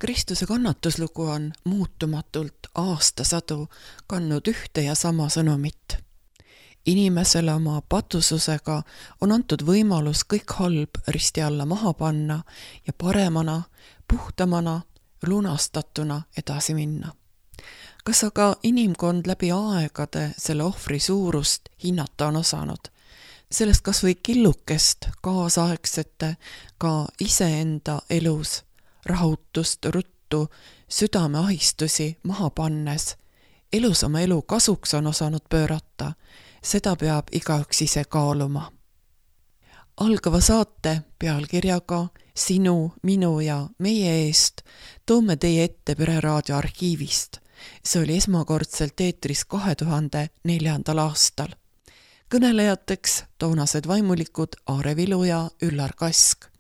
Kristuse kannatuslugu on muutumatult aastasadu kandnud ühte ja sama sõnumit. Inimesele oma patususega on antud võimalus kõik halb risti alla maha panna ja paremana, puhtamana, lunastatuna edasi minna. Kas aga inimkond läbi aegade selle ohvri suurust hinnata on osanud? Sellest kas või killukest kaasaegsete ka iseenda elus rahutust, ruttu, südameahistusi maha pannes, elus oma elu kasuks on osanud pöörata, seda peab igaüks ise kaaluma. Algava saate pealkirjaga Sinu, minu ja meie eest toome teie ette Pereraadio arhiivist. See oli esmakordselt eetris 2004. aastal. Kõnelejateks toonased vaimulikud Aare Vilu ja Üllar Kask.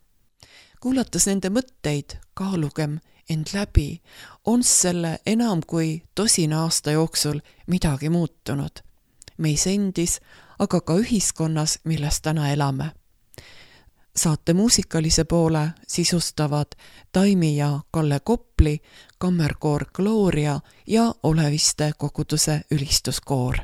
Kuulates nende mõtteid, kaalugem end läbi, on selle enam kui 10 aasta jooksul midagi muutunud. Meis endis, aga ka ühiskonnas, milles täna elame. Saate muusikalise poole sisustavad Taimi ja Kalle Kopli, kammerkoor Gloria ja Oleviste koguduse ülistuskoor.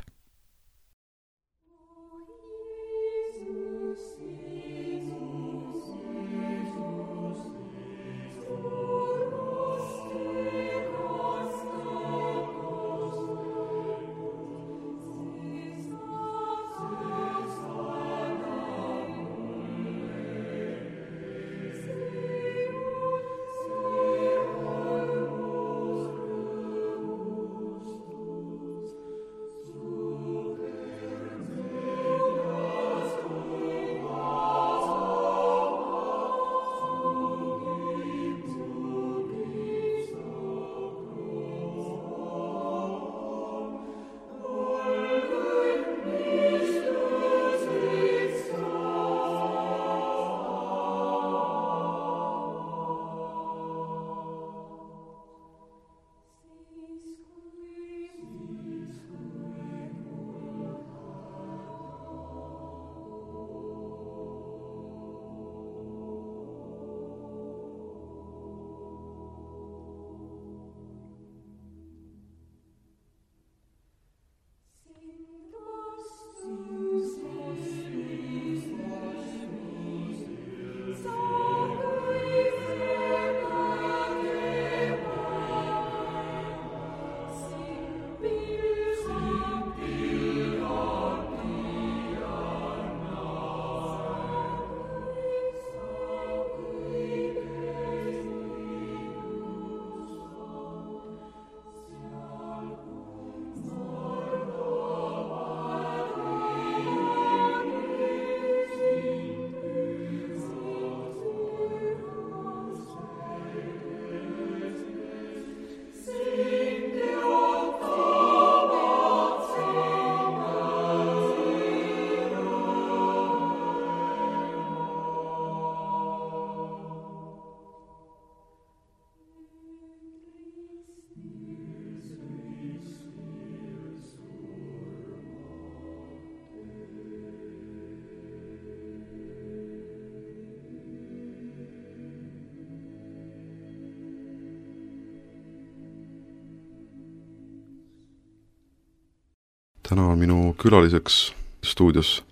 Täna on minu külaliseks stuudios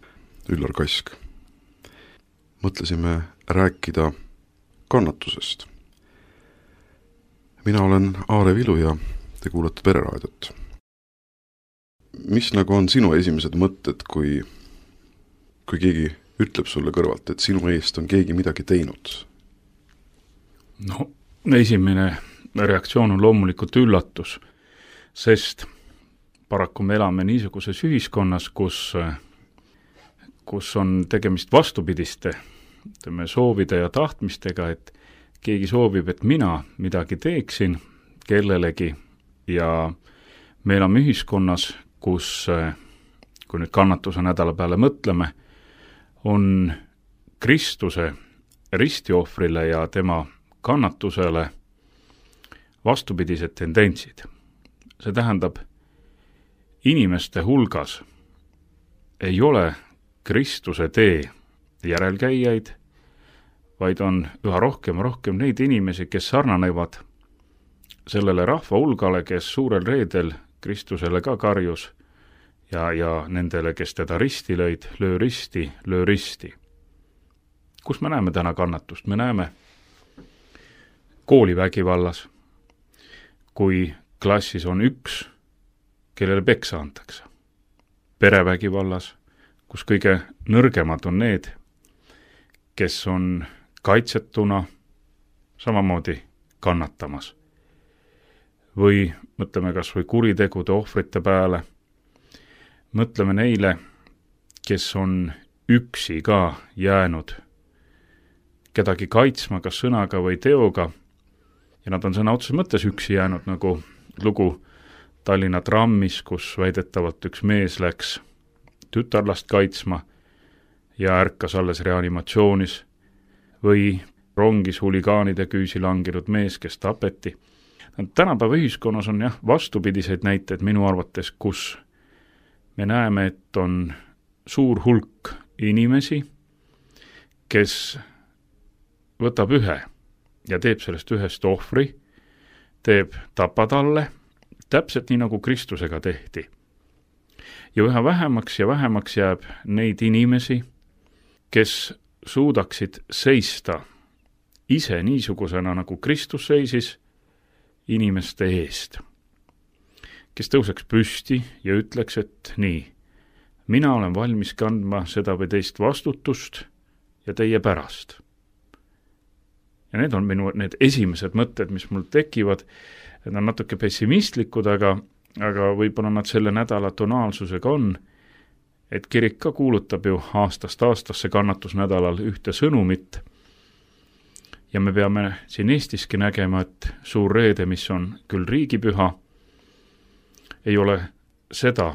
Üllar Kask. Mõtlesime rääkida kannatusest. Mina olen Aare Vilu ja te kuulate Pereraadiot. Mis nagu on sinu esimesed mõtted, kui keegi ütleb sulle kõrvalt, et sinu eest on keegi midagi teinud? No, esimene reaktsioon on loomulikult üllatus, sest paraku me elame niisuguses ühiskonnas, kus on tegemist vastupidiste soovide ja tahtmistega, et keegi soovib, et mina midagi teeksin kellelegi ja me elame ühiskonnas, kus, kui nüüd kannatuse nädala peale mõtleme, on Kristuse ristiohvrile ja tema kannatusele vastupidised tendentsid. See tähendab, inimeste hulgas ei ole Kristuse tee järelkäijaid, vaid on üha rohkem neid inimesi, kes sarnanevad sellele rahva hulgale, kes suurel reedel Kristusele ka karjus ja nendele, kes teda risti lõid, löö risti, löö risti. Kus me näeme täna kannatust? Me näeme koolivägivallas, kui klassis on üks, kellele peksa antakse. Perevägivallas, kus kõige nõrgemad on need, kes on kaitsetuna samamoodi kannatamas. Või mõtleme kas või kuritegude ohvrite peale, mõtleme neile, kes on üksi ka jäänud kedagi kaitsma kas sõnaga või teoga, ja nad on sõna otseses mõttes üksi jäänud, nagu lugu Tallinna trammis, kus väidetavalt üks mees läks tütarlast kaitsma ja ärkas alles reanimatsioonis, või rongis huligaanide küüsi langinud mees, kes tapeti. Tänapäeva ühiskonnas on vastupidiseid näiteid minu arvates, kus me näeme, et on suur hulk inimesi, kes võtab ühe ja teeb sellest ühest ohvri, teeb tapatalle, täpselt nii nagu Kristusega tehti. Ja üha vähemaks ja vähemaks jääb neid inimesi, kes suudaksid seista ise niisugusena, nagu Kristus seisis, inimeste eest. Kes tõuseks püsti ja ütleks, et nii, mina olen valmis kandma seda või teist vastutust ja teie pärast. Ja need on need esimesed mõtted, mis mul tekivad. Need on natuke pessimistlikud, aga võib-olla nad selle nädala tonaalsusega on, et kirik ka kuulutab ju aastast aastasse kannatusnädalal ühte sõnumit. Ja me peame siin Eestiski nägema, et suur reede, mis on küll riigipüha, ei ole seda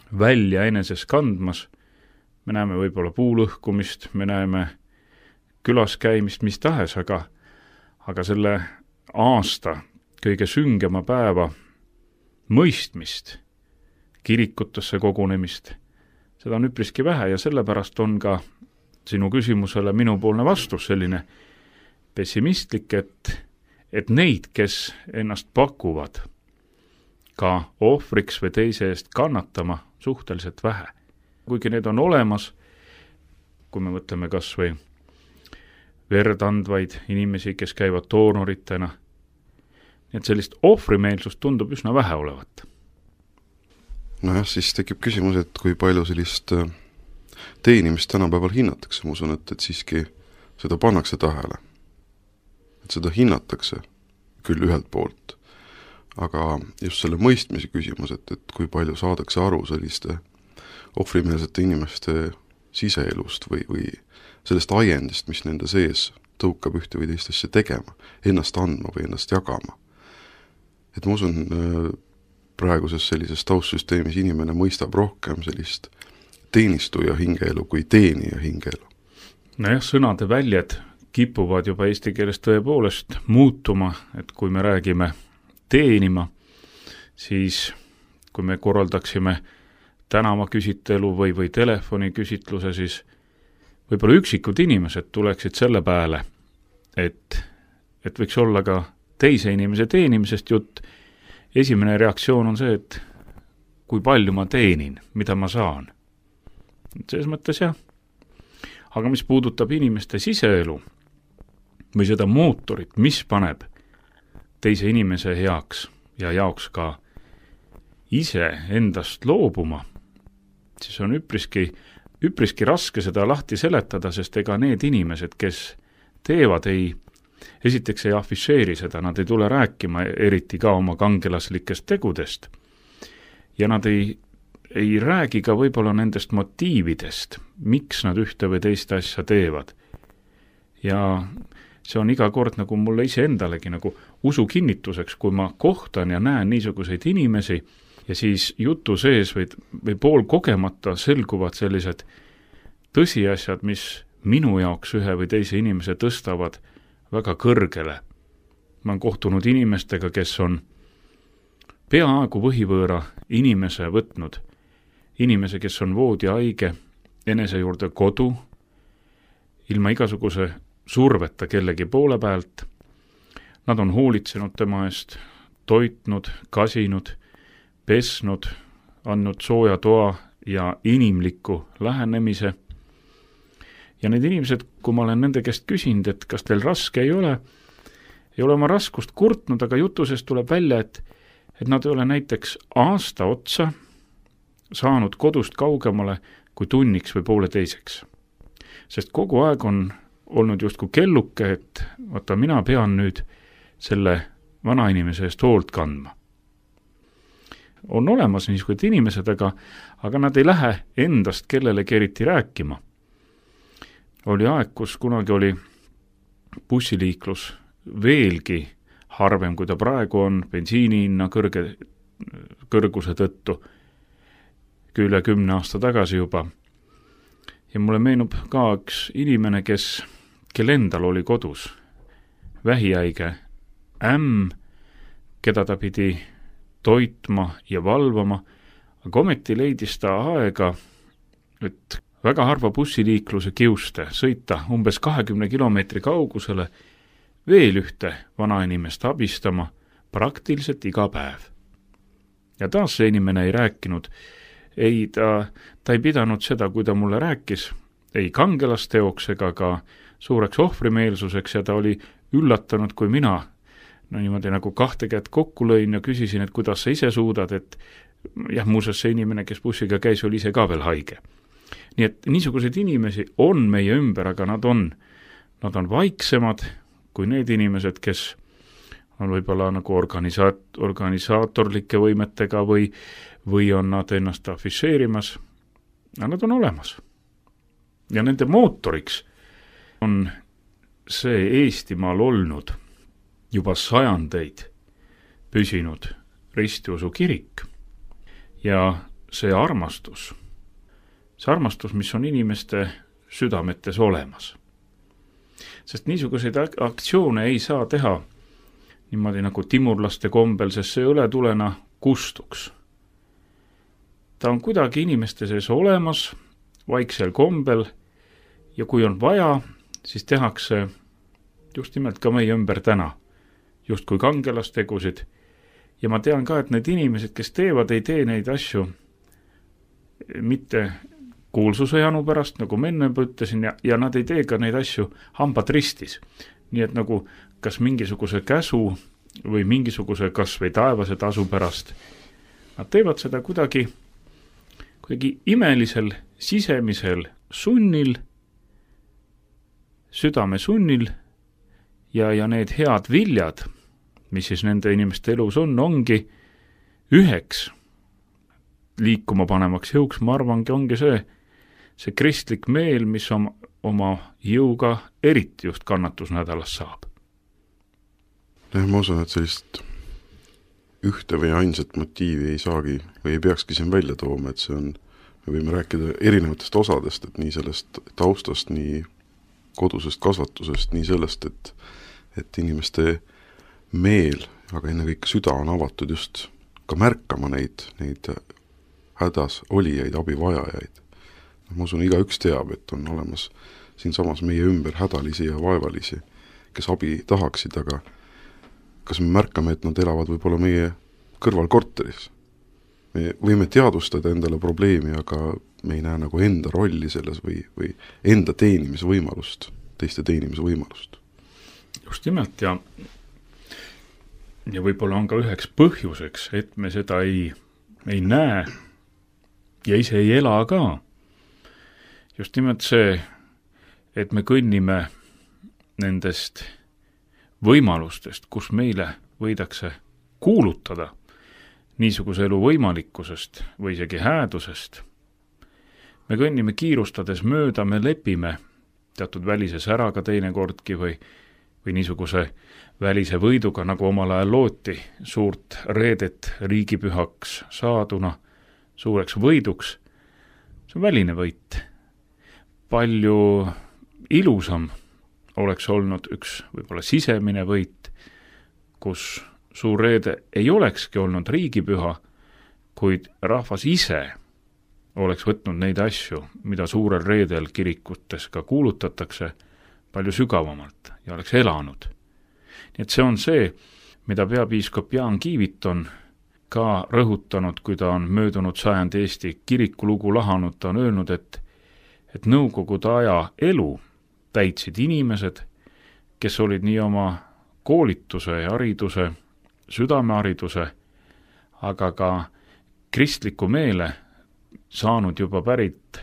välja eneses kandmas. Me näeme võib-olla puulõhkumist, me näeme külas käimist, mis tahes, aga selle aasta kõige süngema päeva mõistmist, kirikutesse kogunemist, seda on üpriski vähe ja sellepärast on ka sinu küsimusele minupoolne vastus selline pessimistlik, et neid, kes ennast pakuvad ka ohvriks või teise eest kannatama, suhteliselt vähe. Kuigi need on olemas, kui me mõtleme kas või verd andvaid inimesi, kes käivad doonoritena, nii et sellist ohvrimeelsust tundub üsna vähe olevat. Nojah, siis tekib küsimus, et kui palju sellist teenimist tänapäeval hinnatakse. Ma usun, et siiski seda pannakse tähele. Et seda hinnatakse küll ühelt poolt, aga just selle mõistmise küsimus, et kui palju saadakse aru selliste ohvrimeelsete inimeste siseelust või sellest ajendist, mis nende sees tõukab ühte või teist asja tegema, ennast andma või ennast jagama. Et ma usun, praeguses sellises taustsüsteemis inimene mõistab rohkem sellist teenistuja hingeelu kui teenija hingeelu. Nojah, sõnade väljed kipuvad juba eesti keeles tõepoolest muutuma, et kui me räägime teenima, siis kui me korraldaksime tänavaküsitlelu või telefoniküsitluse, siis võib-olla üksikud inimesed tuleksid selle pääle, et võiks olla ka teise inimese teenimisest jutt. Esimene reaktsioon on see, et kui palju ma teenin, mida ma saan. Selles mõttes jah. Aga mis puudutab inimeste siseelu või seda mootorit, mis paneb teise inimese heaks ja jaoks ka ise endast loobuma, siis on üpriski raske seda lahti seletada, sest ega need inimesed, kes teevad, esiteks ei afišeeri seda, nad ei tule rääkima eriti ka oma kangelaslikest tegudest ja nad ei räägi ka võib-olla nendest motiividest, miks nad ühte või teist asja teevad. Ja see on iga kord nagu mulle iseendalegi nagu usu kinnituseks, kui ma kohtan ja näen niisuguseid inimesi ja siis jutu sees või pool kogemata selguvad sellised tõsiasjad, mis minu jaoks ühe või teise inimese tõstavad väga kõrgele. Ma olen kohtunud inimestega, kes on peaaegu võhivõõra inimese võtnud, inimese, kes on voodihaige, enese juurde kodu, ilma igasuguse surveta kellegi poole pealt. Nad on hoolitsenud tema eest, toitnud, kasinud, pesnud, andnud sooja toa ja inimliku lähenemise. Ja need inimesed, kui ma olen nende käest küsinud, et kas teil raske ei ole oma raskust kurtnud, aga jutusest tuleb välja, et nad ei ole näiteks aasta otsa saanud kodust kaugemale kui tunniks või pooleteiseks. Sest kogu aeg on olnud justkui kelluke, et vaata, mina pean nüüd selle vanainimese eest hoolt kandma. On olemas niisugused inimesed, aga nad ei lähe endast kellelegi eriti rääkima. Oli aeg, kus kunagi oli bussiliiklus veelgi harvem, kui ta praegu on, bensiinihinna kõrguse tõttu, üle 10 aasta tagasi juba. Ja mulle meenub ka üks inimene, kel endal oli kodus vähihäige keda ta pidi toitma ja valvama, aga ometi leidis ta aega, et väga harva bussiliikluse kiuste sõita umbes 20 kilomeetri kaugusele veel ühte vanainimest abistama praktiliselt iga päev. Ja taas see inimene ei rääkinud, ta ei pidanud seda, kui ta mulle rääkis, ei kangelasteoks ega ka suureks ohvrimeelsuseks ja ta oli üllatunud, kui mina niimoodi nagu 2 kätt kokku lõin ja küsisin, et kuidas sa ise suudad, et jah, muuseas see inimene, kes bussiga käis, oli ise ka veel haige. Nii et niisuguseid inimesi on meie ümber, aga nad on vaiksemad kui need inimesed, kes on võib-olla nagu organisaatorlike võimetega või on nad ennast afišeerimas, aga nad on olemas. Ja nende mootoriks on see Eestimaal olnud juba sajandeid püsinud ristiusu kirik ja see armastus, mis on inimeste südametes olemas. Sest niisuguseid aktsioone ei saa teha niimoodi nagu timurlaste kombel, sest see õletulena kustuks. Ta on kuidagi inimeste sees olemas, vaiksel kombel ja kui on vaja, siis tehakse just nimelt ka meie ümber täna, just kui kangelastegusid. Ja ma tean ka, et need inimesed, kes teevad, ei tee neid asju mitte kuulsuse janu pärast, nagu ma enne ütlesin, ja nad ei tee ka neid asju hambad ristis. Nii et nagu kas mingisuguse käsu või mingisuguse kas või taevase tasu pärast. Nad teevad seda kuidagi imelisel sisemisel sunnil, südame sunnil ja need head viljad, mis siis nende inimeste elus ongi üheks liikuma panemaks jõuks, ma arvangi, ongi see kristlik meel, mis oma jõuga eriti just kannatusnädalas saab. Ma usun, et sellist ühte või ainsat motiivi ei saagi või ei peakski siin välja tooma, et me võime rääkida erinevatest osadest, et nii sellest taustast, nii kodusest kasvatusest, nii sellest, et inimeste meel, aga ennekõike süda on avatud just ka märkama neid hädas olijaid, abivajajaid. Ma usun, igaüks teab, et on olemas siinsamas meie ümber hädalisi ja vaevalisi, kes abi tahaksid, aga kas me märkame, et nad elavad võib-olla meie kõrval korteris? Me võime teadvustada endale probleemi, aga me ei näe nagu enda rolli selles või enda teenimisvõimalust, teiste teenimisvõimalust. Just nimelt ja võib-olla on ka üheks põhjuseks, et me seda ei näe ja ise ei ela ka. Just nimelt see, et me kõnnime nendest võimalustest, kus meile võidakse kuulutada niisuguse elu võimalikkusest või isegi häädusest. Me kõnnime kiirustades mööda, me lepime teatud välise säraga teinekordki või niisuguse välise võiduga, nagu omal ajal looti suurt reedet riigipühaks saaduna, suureks võiduks. See on väline võit. Palju ilusam oleks olnud üks võib-olla sisemine võit, kus suur reede ei olekski olnud riigipüha, kuid rahvas ise oleks võtnud neid asju, mida suurel reedel kirikutes ka kuulutatakse, palju sügavamalt ja oleks elanud. Nii et see on see, mida peapiiskop Jaan Kiivit on ka rõhutanud, kui ta on möödunud sajandi Eesti kirikulugu lahanud, ta on öelnud, et nõukogude aja elu täitsid inimesed, kes olid nii oma koolituse ja hariduse, südamehariduse, aga ka kristliku meele saanud juba pärit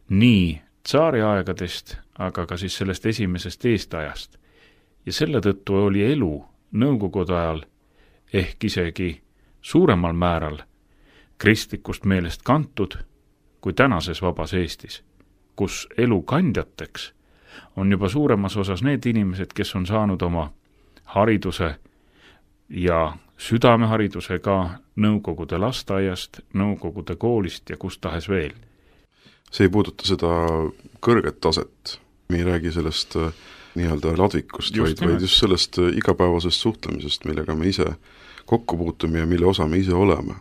nii tsaariaegadest, aga ka siis sellest esimesest eestajast. Ja selle tõttu oli elu nõukogude ajal ehk isegi suuremal määral kristlikust meelest kantud kui tänases vabas Eestis, kus elu kandjateks on juba suuremas osas need inimesed, kes on saanud oma hariduse ja südamehariduse ka nõukogude lasteaiast, nõukogude koolist ja kus tahes veel. See ei puuduta seda kõrget taset, me ei räägi sellest nii-öelda ladvikust, vaid just sellest igapäevasest suhtlemisest, millega me ise kokku puutume ja mille osa me ise oleme.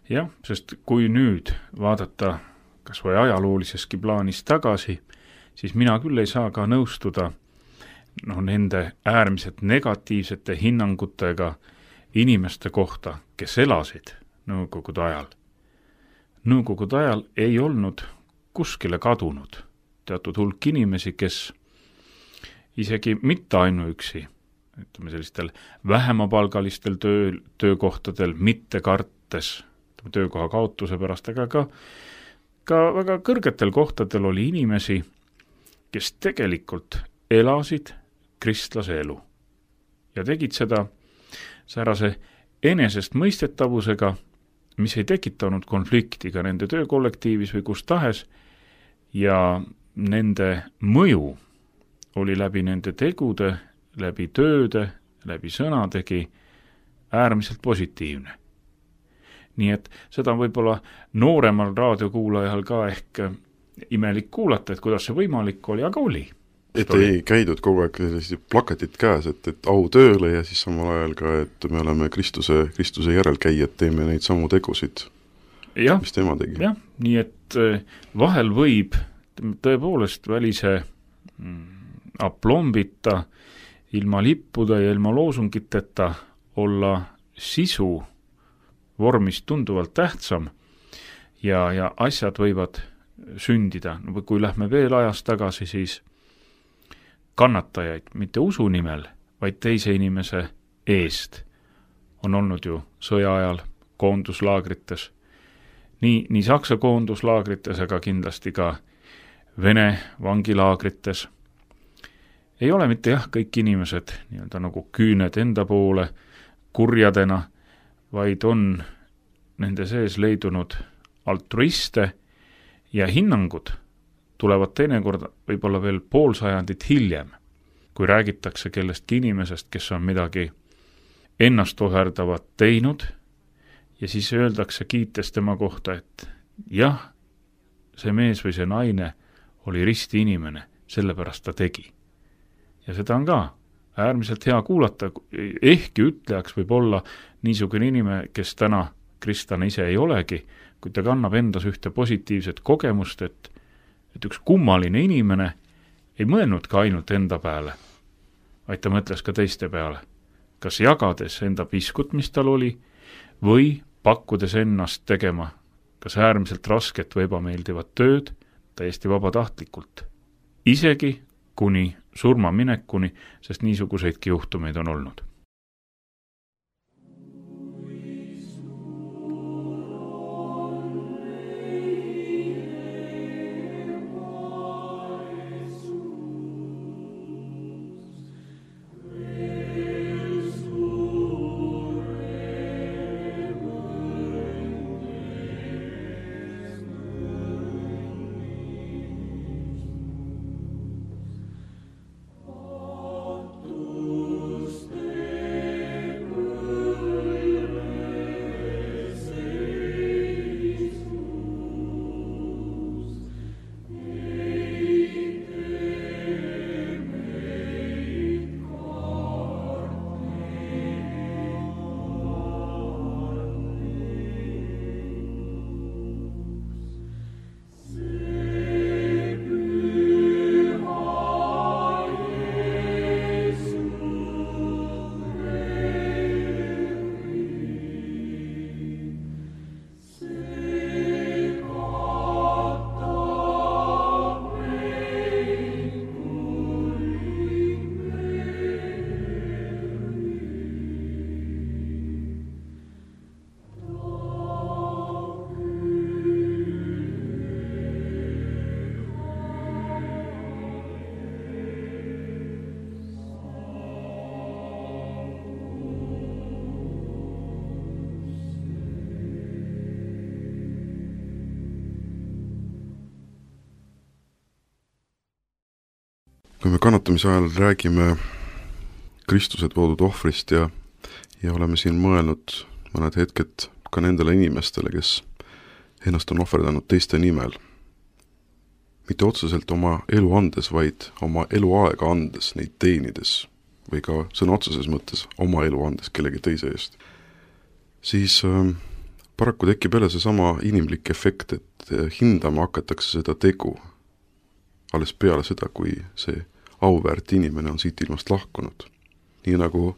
Jah, sest kui nüüd vaadata kas või ajaloolisestki plaanis tagasi, siis mina küll ei saa ka nõustuda nende äärmiselt negatiivsete hinnangutega inimeste kohta, kes elasid nõukogude ajal. Nõukogude ajal ei olnud kuskile kadunud teatud hulk inimesi, kes isegi mitte ainuüksi, ütleme sellistel vähemapalgalistel töökohtadel, mitte kartes töökoha kaotuse pärast, aga ka väga kõrgetel kohtadel oli inimesi, kes tegelikult elasid kristlase elu ja tegid seda säärase enesestmõistetavusega, mis ei tekitanud konflikti ka nende töökollektiivis või kus tahes, ja nende mõju oli läbi nende tegude, läbi tööde, läbi sõnadegi äärmiselt positiivne. Nii et seda võib-olla nooremal raadiokuulajal ka ehk imelik kuulata, et kuidas see võimalik oli, aga oli. Et ei käidud kogu aeg plakatid käes, et au tööle ja siis samal ajal ka, et me oleme Kristuse järelkäijad, teeme neid samu tegusid, mis tema tegi. Jah, nii et vahel võib tõepoolest välise aplombita, ilma lippuda ja ilma loosungiteta olla sisu vormist tunduvalt tähtsam ja asjad võivad sündida. Kui lähme veel ajas tagasi, siis kannatajaid mitte usu nimel, vaid teise inimese eest on olnud ju sõja ajal koonduslaagrites. Nii Saksa koonduslaagrites, aga kindlasti ka Vene vangilaagrites. Ei ole mitte kõik inimesed nii-öelda nagu küüned enda poole kurjadena, vaid on nende sees leidunud altruiste ja hinnangud tulevad teinekord võib-olla veel pool sajandit hiljem, kui räägitakse kellestki inimesest, kes on midagi ennast ohverdavat teinud ja siis öeldakse kiites tema kohta, et jah, see mees või see naine oli risti inimene, sellepärast ta tegi. Ja seda on ka äärmiselt hea kuulata, ehkki ütlejaks võib olla niisugune inimene, kes täna kristlane ise ei olegi, kui ta kannab endas ühte positiivset kogemust, et üks kummaline inimene ei mõelnud ka ainult enda peale, vaid ta mõtles ka teiste peale, kas jagades enda piskut, mis tal oli, või pakkudes ennast tegema kas äärmiselt rasket või ebameeldivat tööd täiesti vabatahtlikult, isegi kuni surmaminekuni, sest niisuguseidki juhtumeid on olnud. kui me kannatamise ajal räägime Kristuse toodud ohvrist ja oleme siin mõelnud mõned hetked ka nendele inimestele, kes ennast on ohverdanud teiste nimel, mitte otseselt oma elu andes, vaid oma eluaega andes, neid teenides või ka sõna otseses mõttes oma elu andes kellegi teise eest, siis paraku tekib jälle seesama inimlik efekt, et hindama hakatakse seda tegu alles peale seda, kui see auväärt inimene on siit ilmast lahkunud. Nii nagu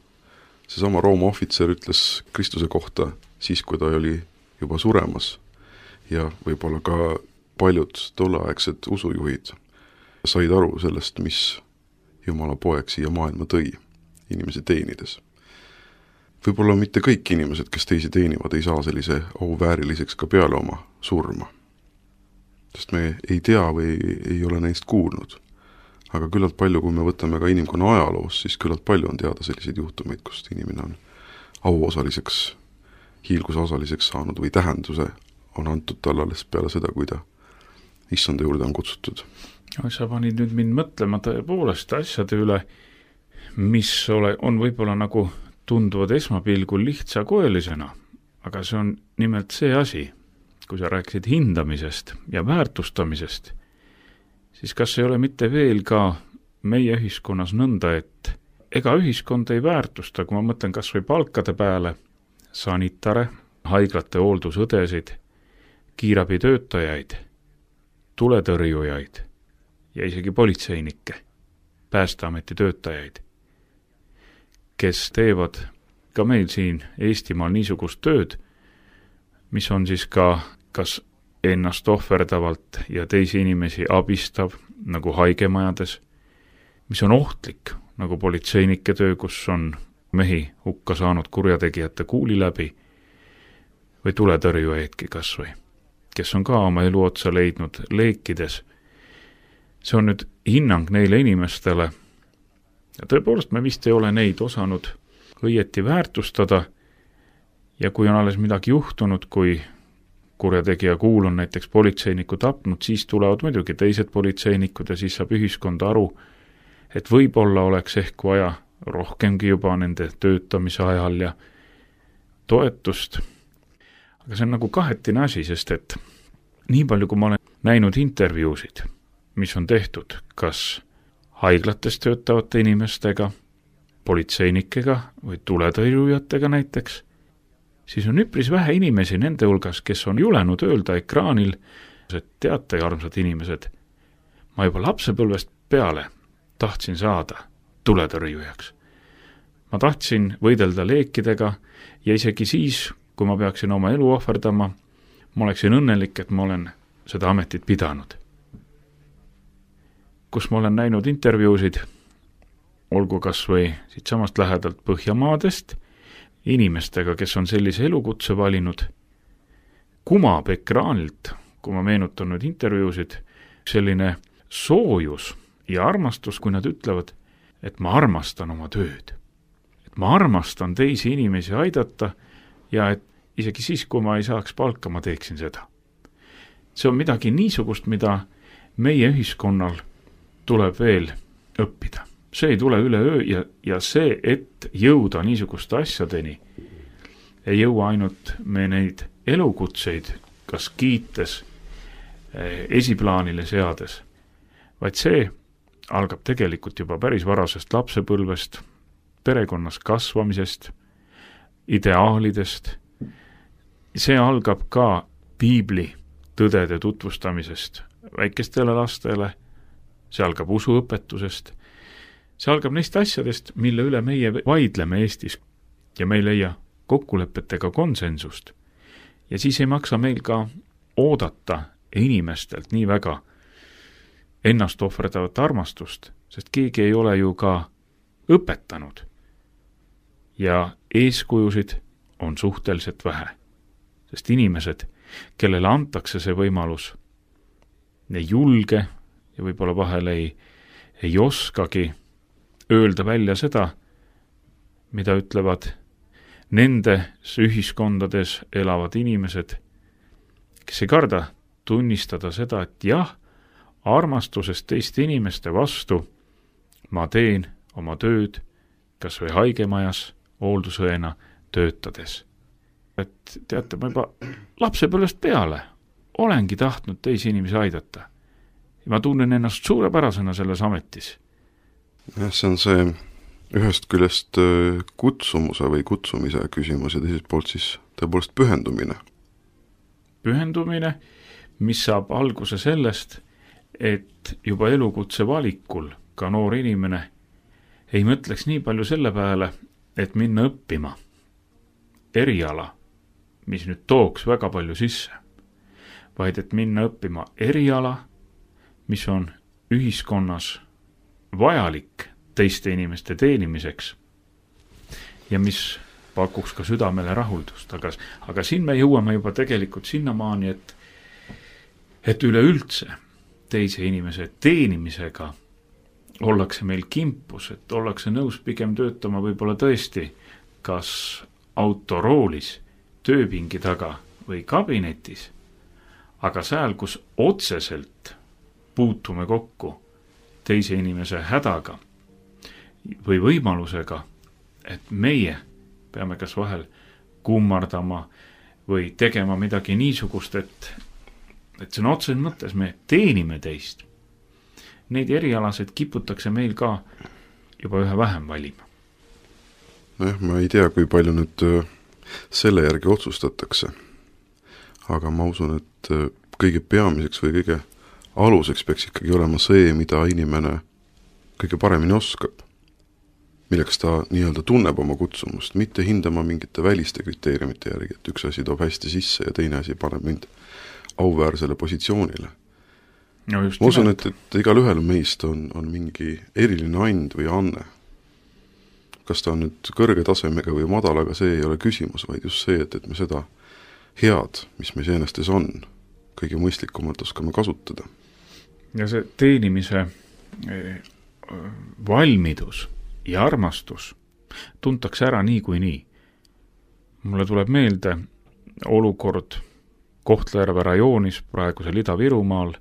seesama Rooma ohvitser ütles Kristuse kohta siis, kui ta oli juba suremas ja võib-olla ka paljud tolleaegsed usujuhid said aru sellest, mis Jumala poeg siia maailma tõi, inimesi teenides. Võib-olla mitte kõik inimesed, kes teisi teenivad, ei saa sellise auvääriliseks ka peale oma surma. Sest me ei tea või ei ole neist kuulnud. Aga küllalt palju, kui me võtame ka inimkonna ajaloos, siis küllalt palju on teada selliseid juhtumeid, kust inimene on auosaliseks, hiilgusosaliseks saanud või tähenduse on antud talle alles peale seda, kui ta issanda juurde on kutsutud. Sa panid nüüd mind mõtlema tõepoolest asjade üle, mis on võib-olla nagu tunduvad esmapilgul lihtsakoelisena, aga see on nimelt see asi, kui sa rääkisid hindamisest ja väärtustamisest, siis kas ei ole mitte veel ka meie ühiskonnas nõnda, et ega ühiskond ei väärtusta, kui ma mõtlen kas või palkade peale, sanitare, haiglate hooldusõdesid, kiirabitöötajaid, tuletõrjujaid ja isegi politseinikke, Päästeameti töötajaid, kes teevad ka meil siin Eestimaal niisugust tööd, mis on siis ka kas ennast ohverdavalt ja teisi inimesi abistav, nagu haigemajades, mis on ohtlik, nagu politseinike töö, kus on mehi hukka saanud kurjategijate kuuli läbi, või tuletõrjujaidki kas või, kes on ka oma elu otsa leidnud leekides. See on nüüd hinnang neile inimestele ja tõepoolest me vist ei ole neid osanud õieti väärtustada ja kui on alles midagi juhtunud, kui kurjategija kuul on näiteks politseiniku tapnud, siis tulevad muidugi teised politseinikud ja siis saab ühiskond aru, et võib-olla oleks ehk vaja rohkemgi juba nende töötamise ajal ja toetust. Aga see on nagu kahetine asi, sest et nii palju, kui ma olen näinud intervjuusid, mis on tehtud kas haiglates töötavate inimestega, politseinikega või tuletõrjujatega näiteks, siis on üpris vähe inimesi nende hulgas, kes on julenud öelda ekraanil, et teate, armsad inimesed, ma juba lapsepõlvest peale tahtsin saada tuletõrjujaks. Ma tahtsin võidelda leekidega ja isegi siis, kui ma peaksin oma elu ohverdama, ma oleksin õnnelik, et ma olen seda ametit pidanud. Kus ma olen näinud intervjuusid, olgu kas või siit samast lähedalt Põhjamaadest, inimestega, kes on sellise elukutse valinud, kumab ekraanilt, kui ma meenutan nüüd intervjuusid, selline soojus ja armastus, kui nad ütlevad, et ma armastan oma tööd. Et ma armastan teisi inimesi aidata ja et isegi siis, kui ma ei saaks palka, ma teeksin seda. See on midagi niisugust, mida meie ühiskonnal tuleb veel õppida. See ei tule üleöö ja see, et jõuda niisuguste asjadeni, ei jõua ainult me neid elukutseid, kas kiites, esiplaanile seades, vaid see algab tegelikult juba päris varasest lapsepõlvest, perekonnas kasvamisest, ideaalidest. See algab ka piibli tõdede tutvustamisest väikestele lastele, see algab usuõpetusest, see algab neist asjadest, mille üle meie vaidleme Eestis ja me ei leia kokkulepetega konsensust. Ja siis ei maksa meil ka oodata inimestelt nii väga ennast ohverdavat armastust, sest keegi ei ole ju ka õpetanud. Ja eeskujusid on suhteliselt vähe, sest inimesed, kellele antakse see võimalus, ei julge ja võib-olla vahel ei oskagi öelda välja seda, mida ütlevad nendes ühiskondades elavad inimesed, kes ei karda tunnistada seda, et jah, armastusest teiste inimeste vastu ma teen oma tööd kas või haigemajas hooldusõena töötades. Et teate, ma juba lapsepõlvest peale olengi tahtnud teisi inimesi aidata. Ja ma tunnen ennast suurepärasena selles ametis. Jah, see on see ühest küljest kutsumuse või kutsumise küsimus ja teiselt poolt siis tõepoolest pühendumine. Pühendumine, mis saab alguse sellest, et juba elukutse valikul ka noor inimene ei mõtleks nii palju selle peale, et minna õppima eriala, mis nüüd tooks väga palju sisse, vaid et minna õppima eriala, mis on ühiskonnas vajalik teiste inimeste teenimiseks ja mis pakuks ka südamele rahuldust. Aga siin me jõuame juba tegelikult sinnamaani, et üleüldse teise inimese teenimisega ollakse meil kimpus, et ollakse nõus pigem töötama võib-olla tõesti kas autoroolis, tööpingi taga või kabinetis, aga seal, kus otseselt puutume kokku teise inimese hädaga või võimalusega, et meie peame kas vahel kummardama või tegema midagi niisugust, et see on otseses mõttes, me teenime teist. Neid erialasid kiputakse meil ka juba ühe vähem valima. Nojah, ma ei tea, kui palju nüüd selle järgi otsustatakse, aga ma usun, et kõige peamiseks või kõige aluseks peaks ikkagi olema see, mida inimene kõige paremini oskab, milleks ta nii-öelda tunneb oma kutsumust, mitte hindama mingite väliste kriteeriumite järgi, et üks asi toob hästi sisse ja teine asi paneb mind auväärsele positsioonile. No ma usun, et igal ühel meist on mingi eriline and või anne. Kas ta on nüüd kõrge tasemega või madalaga, see ei ole küsimus, vaid just see, et me seda head, mis meis ennastes on, kõige mõistlikumalt oskame kasutada. Ja see teenimise valmidus ja armastus tuntakse ära nii kui nii. Mulle tuleb meelde olukord Kohtla-Järve rajoonis, praegusel Ida-Virumaal,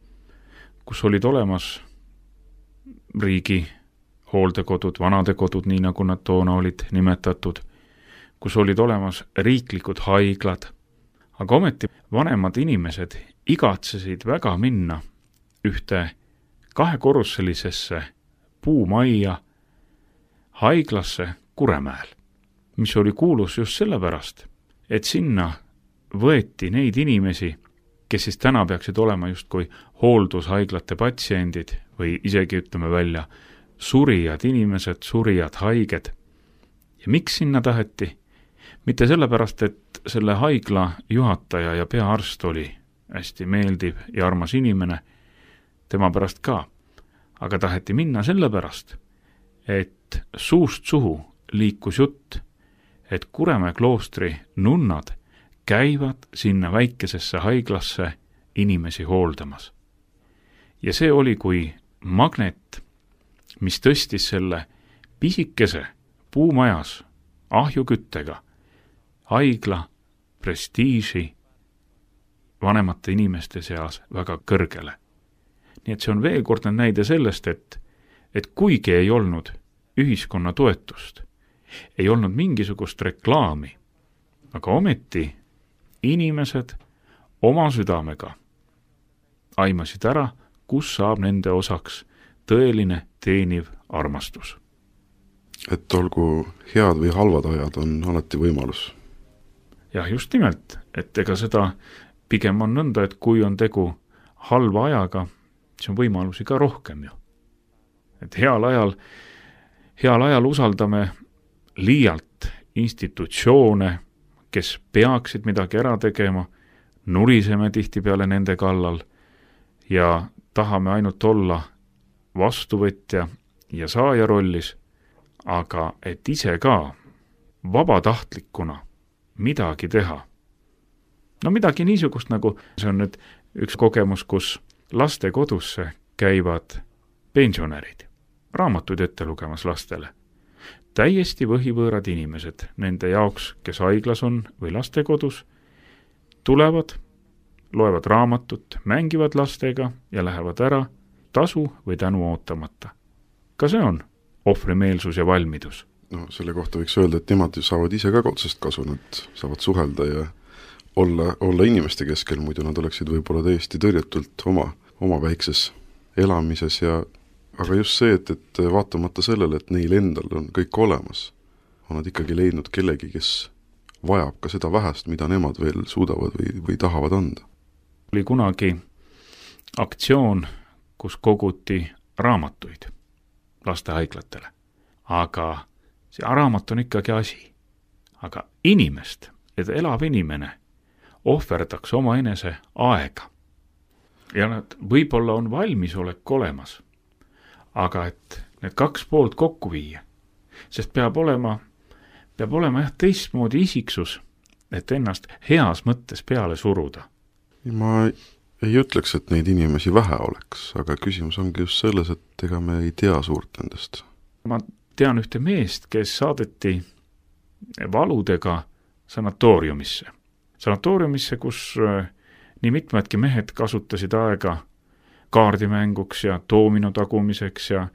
kus olid olemas riigi hooldekodud, vanadekodud, nii nagu nad toona olid nimetatud, kus olid olemas riiklikud haiglad, aga ometi vanemad inimesed igatsesid väga minna ühte kahekorruselisesse puumajja haiglasse Kuremäel, mis oli kuulus just sellepärast, et sinna võeti neid inimesi, kes siis täna peaksid olema justkui hooldushaiglate patsiendid või isegi ütleme välja surijad inimesed, surijad haiged. Ja miks sinna taheti? Mitte sellepärast, et selle haigla juhataja ja peaarst oli hästi meeldiv ja armas inimene, tema pärast ka, aga taheti minna sellepärast, et suust suhu liikus jutt, et Kuremäe kloostri nunnad käivad sinna väikesesse haiglasse inimesi hooldamas. Ja see oli kui magnet, mis tõstis selle pisikese puumajas ahjuküttega haigla prestiiži vanemate inimeste seas väga kõrgele. Nii et see on veel kord näide sellest, et kuigi ei olnud ühiskonna toetust, ei olnud mingisugust reklaami, aga ometi inimesed oma südamega aimasid ära, kus saab nende osaks tõeline teeniv armastus. Et olgu head või halvad ajad, on alati võimalus. Jah, just nimelt, et ega seda pigem on nõnda, et kui on tegu halva ajaga, siis on võimalusi ka rohkem ju. Et heal ajal usaldame liialt institutsioone, kes peaksid midagi ära tegema, nuriseme tihtipeale nende kallal ja tahame ainult olla vastuvõtja ja saaja rollis, aga et ise ka vabatahtlikuna midagi teha. No midagi niisugust nagu, see on nüüd üks kogemus, kus lastekodusse käivad pensionärid, raamatuid ette lugemas lastele. Täiesti võhivõõrad inimesed, nende jaoks, kes haiglas on või lastekodus, tulevad, loevad raamatut, mängivad lastega ja lähevad ära tasu või tänu ootamata. Ka see on ohvrimeelsus ja valmidus. No selle kohta võiks öelda, et nemad saavad ise ka otsest kasu, nad saavad suhelda ja olla inimeste keskel, muidu nad oleksid võib-olla täiesti tõrjetult oma väikses elamises aga just see, et vaatamata sellele, et neil endal on kõik olemas, on nad ikkagi leidnud kellegi, kes vajab ka seda vähest, mida nemad veel suudavad või tahavad anda. Oli kunagi aktsioon, kus koguti raamatuid lastehaiglatele, aga see raamat on ikkagi asi. Aga inimest, et elav inimene ohverdaks oma enese aega. Ja nad võib-olla on valmisolek olemas, aga et need 2 poolt kokku viia, sest peab olema teistmoodi isiksus, et ennast heas mõttes peale suruda. Ma ei ütleks, et neid inimesi vähe oleks, aga küsimus ongi just selles, et ega me ei tea suurt nendest. Ma tean ühte meest, kes saadeti valudega sanatooriumisse. Sanatooriumisse, kus nii mitmedki mehed kasutasid aega kaardimänguks ja doomino tagumiseks ja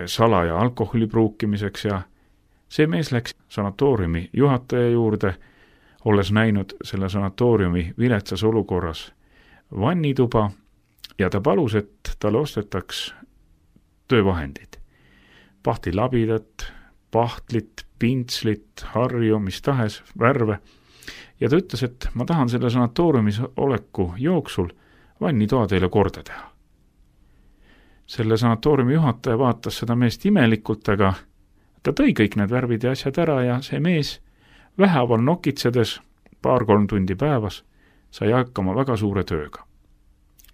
salaja alkoholi pruukimiseks ja see mees läks sanatooriumi juhataja juurde, olles näinud selle sanatooriumi viletsas olukorras vannituba ja ta palus, et talle ostetaks töövahendid. Pahtilabidat, pahtlit, pintslit, harju, mis tahes, värve. Ja ta ütles, et ma tahan selle sanatooriumis oleku jooksul vannitoa teile korda teha. Selle sanatooriumi juhataja vaatas seda meest imelikult, aga ta tõi kõik need värvid ja asjad ära ja see mees vähäval nokitsedes 2-3 tundi päevas sai hakkama väga suure tööga.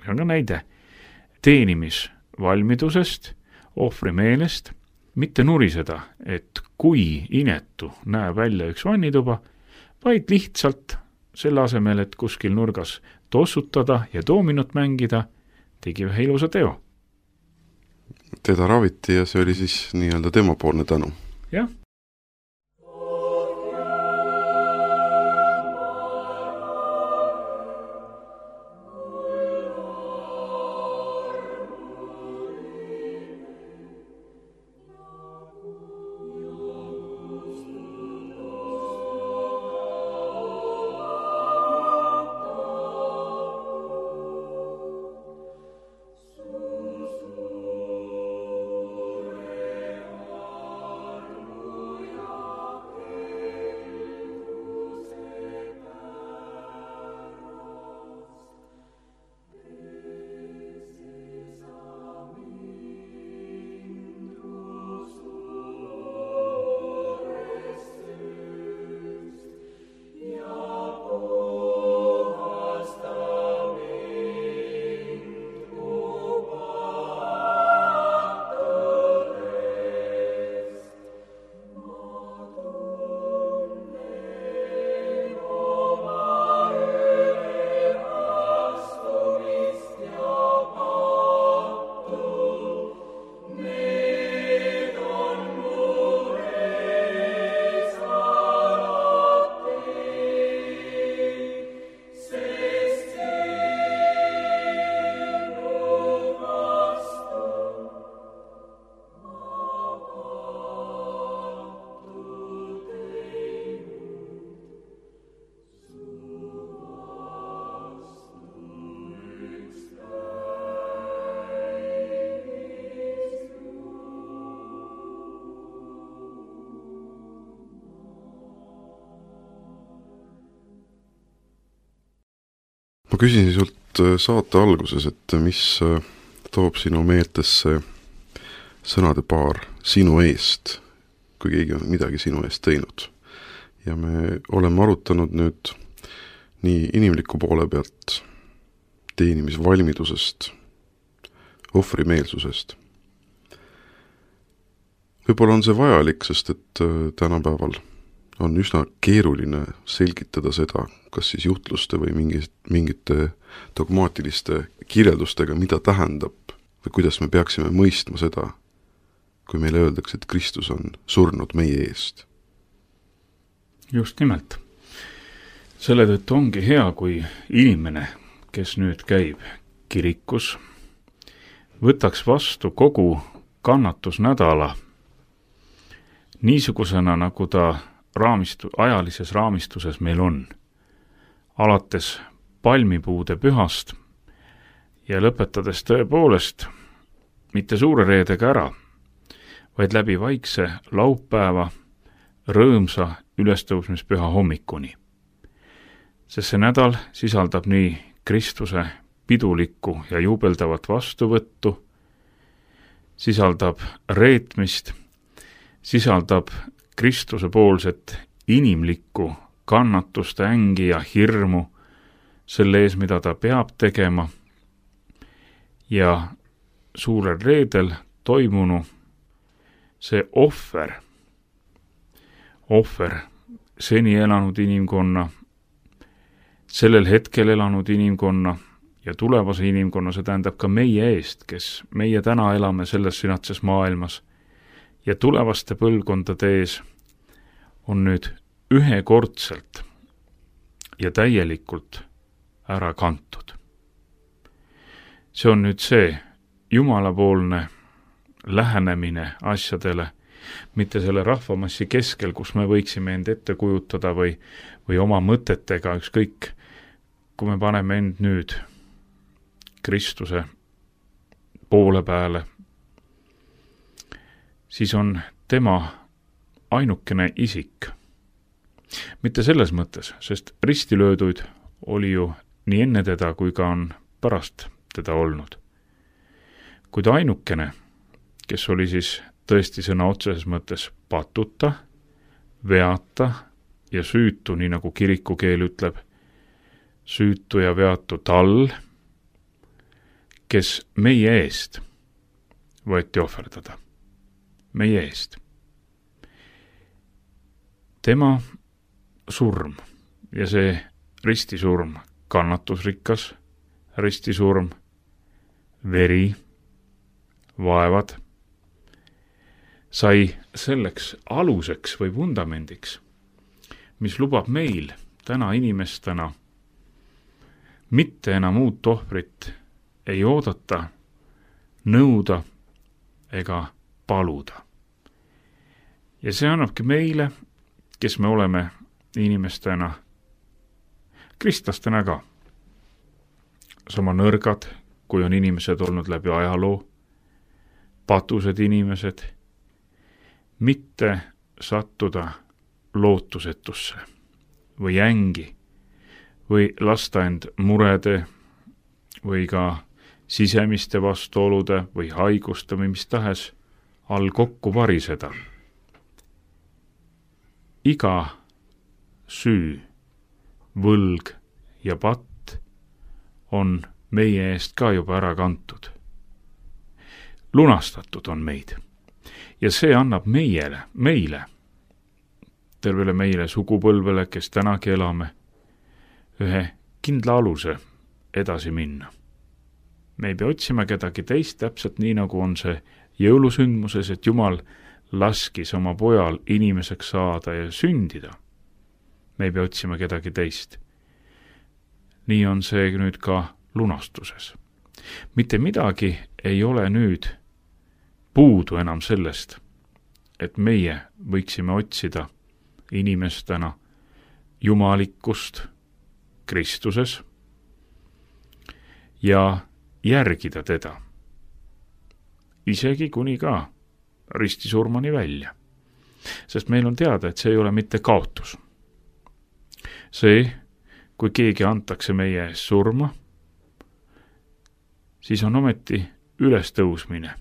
See on ka näide teenimisvalmidusest, ohvrimeelest, mitte nuriseda, et kui inetu näeb välja üks vannituba, vaid lihtsalt selle asemel, et kuskil nurgas tossutada ja doominut mängida, tegi ühe ilusa teo. Teda raviti ja see oli siis nii-öelda temapoolne tänu. Jah. Ma küsisin sult saate alguses, et mis toob sinu meeltesse sõnade paar sinu eest, kui keegi on midagi sinu eest teinud. Ja me oleme arutanud nüüd nii inimliku poole pealt, teenimisvalmidusest, ohvrimeelsusest. Võib-olla on see vajalik, sest et tänapäeval on üsna keeruline selgitada seda, kas siis jutluste või mingite dogmaatiliste kirjeldustega, mida tähendab või kuidas me peaksime mõistma seda, kui meile öeldakse, et Kristus on surnud meie eest. Just nimelt. Selle tõttu ongi hea, kui inimene, kes nüüd käib kirikus, võtaks vastu kogu kannatusnädala niisugusena, nagu ta ajalises raamistuses meil on. Alates palmipuude pühast ja lõpetades tõepoolest mitte suure reedega ära, vaid läbi vaikse laupäeva rõõmsa ülestõusmispüha hommikuni. Sest see nädal sisaldab nii Kristuse pidulikku ja jubeldavat vastuvõttu, sisaldab reetmist, sisaldab Kristuse poolset inimlikku kannatuste ängi ja hirmu selle ees, mida ta peab tegema, ja suurel reedel toimunu see ohver, seni elanud inimkonna, sellel hetkel elanud inimkonna ja tulevase inimkonna, see tähendab ka meie eest, kes meie täna elame selles sünatses maailmas ja tulevaste põlvkondade ees, on nüüd ühekordselt ja täielikult ära kantud. See on nüüd see jumalapoolne lähenemine asjadele, mitte selle rahvamassi keskel, kus me võiksime end ette kujutada või oma mõtetega, ükskõik, kui me paneme end nüüd Kristuse poole peale, siis on tema ainukene isik. Mitte selles mõttes, sest ristilööduid oli ju nii enne teda, kui ka on pärast teda olnud. Kuid ainukene, kes oli siis tõesti sõna otseses mõttes patuta, veata ja süütu, nii nagu kirikukeel ütleb, süütu ja veatu tal, kes meie eest võeti ohverdada. Meie eest. Tema surm ja see ristisurm, kannatusrikas ristisurm, veri, vaevad, sai selleks aluseks või vundamendiks, mis lubab meil täna inimestena mitte enam uut ohvrit ei oodata, nõuda ega paluda. Ja see annabki meile, kes me oleme inimestena, kristlastena ka, sama nõrgad, kui on inimesed olnud läbi ajaloo, patused inimesed, mitte sattuda lootusetusse või ängi või lasta end murede või ka sisemiste vastuolude või haiguste või mis tahes all kokku variseda. Iga süü, võlg ja patt on meie eest ka juba ära kantud. Lunastatud on meid. Ja see annab meile, tervele meile sugupõlvele, kes tänagi elame, ühe kindla aluse edasi minna. Me ei pea otsima kedagi teist, täpselt nii nagu on see jõulusündmuses, et Jumal laskis oma pojal inimeseks saada ja sündida. Me ei pea otsima kedagi teist. Nii on see nüüd ka lunastuses. Mitte midagi ei ole nüüd puudu enam sellest, et meie võiksime otsida inimestena jumalikkust Kristuses ja järgida teda, isegi kuni ka ristisurmani välja. Sest meil on teada, et see ei ole mitte kaotus. See, kui keegi antakse meie ees surma, siis on ometi ülestõusmine,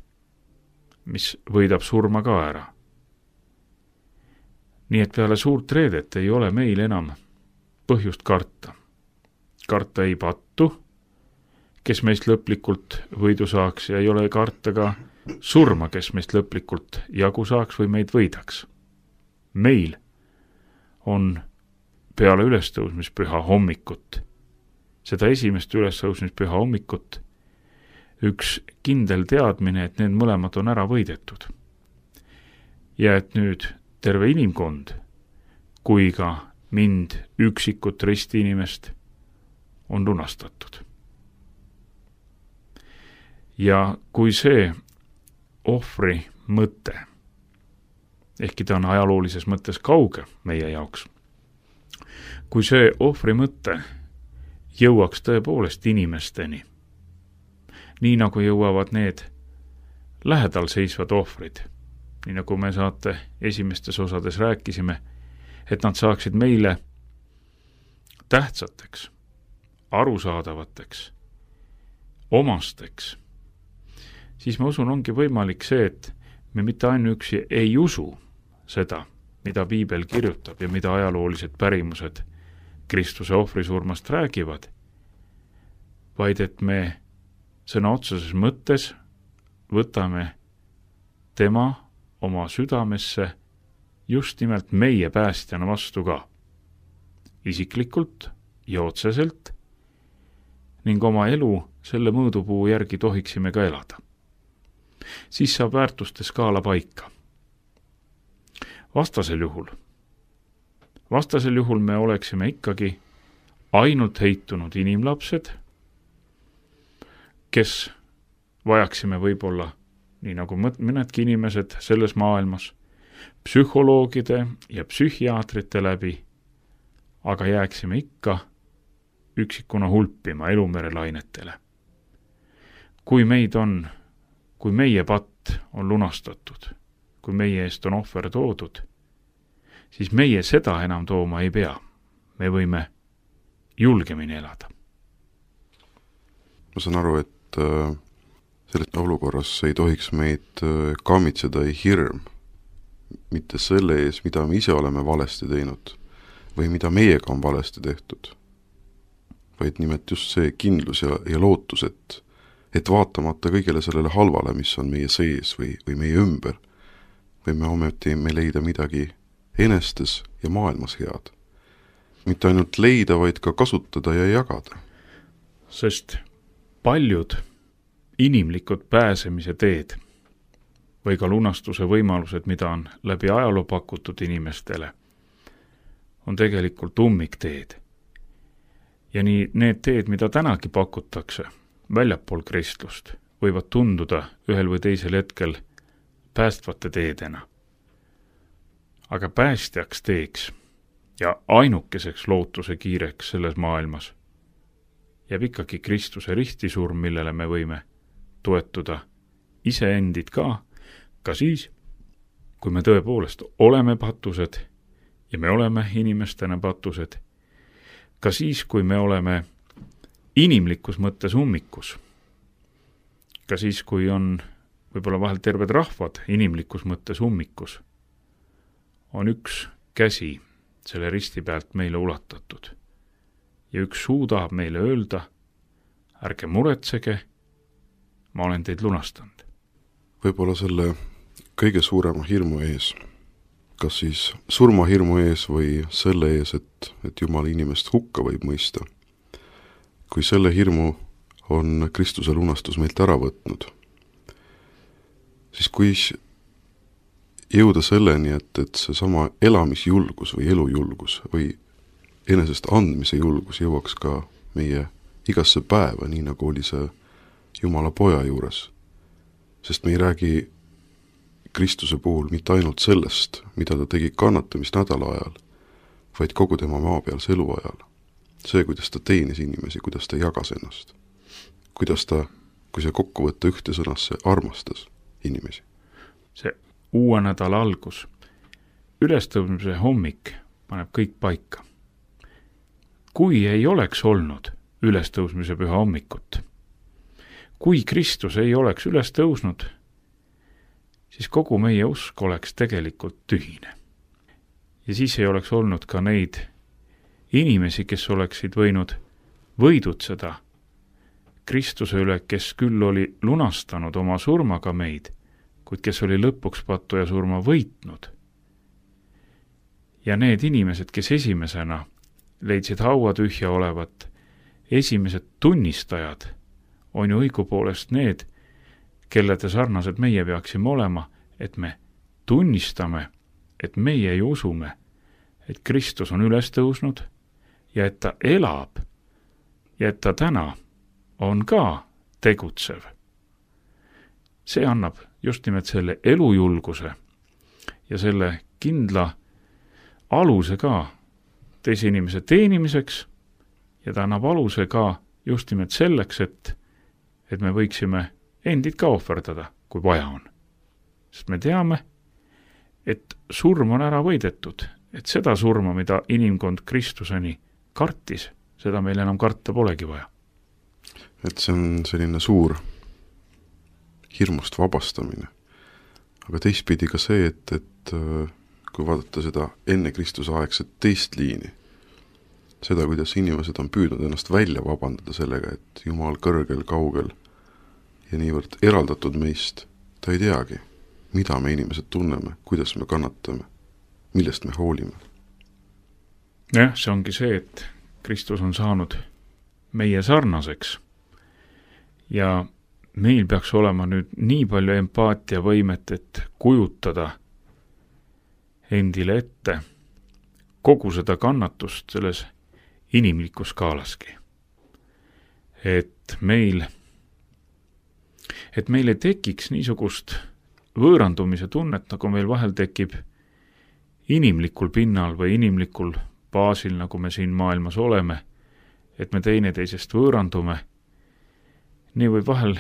mis võidab surma ka ära. Nii et peale suurt reedet ei ole meil enam põhjust karta. Karta ei pattu, kes meist lõplikult võidu saaks, ja ei ole karta ka surma, kes meist lõplikult jagu saaks või meid võidaks. Meil on peale ülestõusmispüha hommikut, seda esimest ülestõusmispüha hommikut, üks kindel teadmine, et need mõlemad on ära võidetud. Ja et nüüd terve inimkond, kui ka mind üksikut ristiinimest, on lunastatud. Ja kui see ohvri mõte ehkki ta on ajaloolises mõttes kauge meie jaoks. Kui see ohvri mõte jõuaks tõepoolest inimesteni, nii nagu jõuavad need lähedal seisvad ohvrid, nii nagu me saate esimestes osades rääkisime, et nad saaksid meile tähtsateks, arusaadavateks, omasteks, siis ma usun, ongi võimalik see, et me mitte ainuüksi ei usu seda, mida piibel kirjutab ja mida ajaloolised pärimused Kristuse ohvrisurmast räägivad, vaid et me sõna otseses mõttes võtame tema oma südamesse just nimelt meie päästjana vastu ka, isiklikult ja otseselt, ning oma elu selle mõõdupuu järgi tohiksime ka elada. Siis saab väärtuste skaala paika. Vastasel juhul me oleksime ikkagi ainult heitunud inimlapsed, kes vajaksime võib-olla, nii nagu mõnedki inimesed selles maailmas, psühholoogide ja psühhiaatrite läbi, aga jääksime ikka üksikuna hulpima elumere lainetele. Kui meie patt on lunastatud, kui meie eest on ohver toodud, siis meie seda enam tooma ei pea. Me võime julgemini elada. Ma saan aru, et selles olukorras ei tohiks meid kammitseda ei hirm, mitte selle ees, mida me ise oleme valesti teinud või mida meiega on valesti tehtud, vaid nimelt just see kindlus ja lootus, et vaatamata kõigele sellele halvale, mis on meie sees või meie ümber, võime ometi me leida midagi enestes ja maailmas head. Mitte ainult leida, vaid ka kasutada ja jagada. Sest paljud inimlikud pääsemise teed või ka lunastuse võimalused, mida on läbi ajaloo pakutud inimestele, on tegelikult ummikteed. Ja nii need teed, mida tänagi pakutakse väljapool kristlust, võivad tunduda ühel või teisel hetkel päästvate teedena. Aga päästjaks teeks ja ainukeseks lootuse kiireks selles maailmas jääb ikkagi Kristuse ristisurm, millele me võime toetuda iseendid ka siis, kui me tõepoolest oleme patused ja me oleme inimestena patused, ka siis, kui me oleme inimlikus mõttes ummikus, ka siis, kui on võib-olla vahel terved rahvad inimlikus mõttes ummikus, on üks käsi selle risti pealt meile ulatatud ja üks suu tahab meile öelda, ärge muretsege, ma olen teid lunastanud. Võib-olla selle kõige suurema hirmu ees, kas siis surmahirmu ees või selle ees, et Jumal inimest hukka võib mõista, kui selle hirmu on Kristuse lunastus meilt ära võtnud, siis kui jõuda selleni, et seesama elamisjulgus või elujulgus või enesest andmise julgus jõuaks ka meie igasse päeva, nii nagu oli see Jumala poja juures. Sest me ei räägi Kristuse puhul mitte ainult sellest, mida ta tegi kannatamisnädala ajal, vaid kogu tema maapealse elu ajal. See, kuidas ta teenis inimesi, kuidas ta jagas ennast. Kuidas ta, kui see kokku võtta ühte sõnasse, armastas inimesi. See uue nädala algus, ülestõusmise hommik paneb kõik paika. Kui ei oleks olnud ülestõusmise püha hommikut, kui Kristus ei oleks üles tõusnud, siis kogu meie usk oleks tegelikult tühine. Ja siis ei oleks olnud ka neid inimesi, kes oleksid võinud võidutseda Kristuse üle, kes küll oli lunastanud oma surmaga meid, kuid kes oli lõpuks pattuja surma võitnud. Ja need inimesed, kes esimesena leidsid haua tühja olevat, esimesed tunnistajad on ju õigupoolest need, kellede sarnased meie peaksime olema, et me tunnistame, et meie ju usume, et Kristus on üles tõusnud ja et ta elab ja et ta täna on ka tegutsev. See annab just nimelt selle elujulguse ja selle kindla aluse ka teise inimese teenimiseks ja ta annab aluse ka just nimelt selleks, et me võiksime endid ka ohverdada, kui vaja on. Sest me teame, et surm on ära võidetud, et seda surma, mida inimkond Kristuseni kartis, seda meil enam karta polegi vaja. Et see on selline suur hirmust vabastamine. Aga teistpidi ka see, et kui vaadata seda enne Kristuse aegset teist liini, seda, kuidas inimesed on püüdnud ennast välja vabandada sellega, et Jumal kõrgel, kaugel ja niivõrd eraldatud meist, ta ei teagi, mida me inimesed tunneme, kuidas me kannatame, millest me hoolime. Jah, see ongi see, et Kristus on saanud meie sarnaseks ja meil peaks olema nüüd nii palju empaatiavõimet, et kujutada endile ette kogu seda kannatust selles inimlikus skaalaski. Et meil ei tekiks niisugust võõrandumise tunnet, nagu meil vahel tekib inimlikul pinnal või inimlikul baasil, nagu me siin maailmas oleme, et me teineteisest võõrandume. Nii võib vahel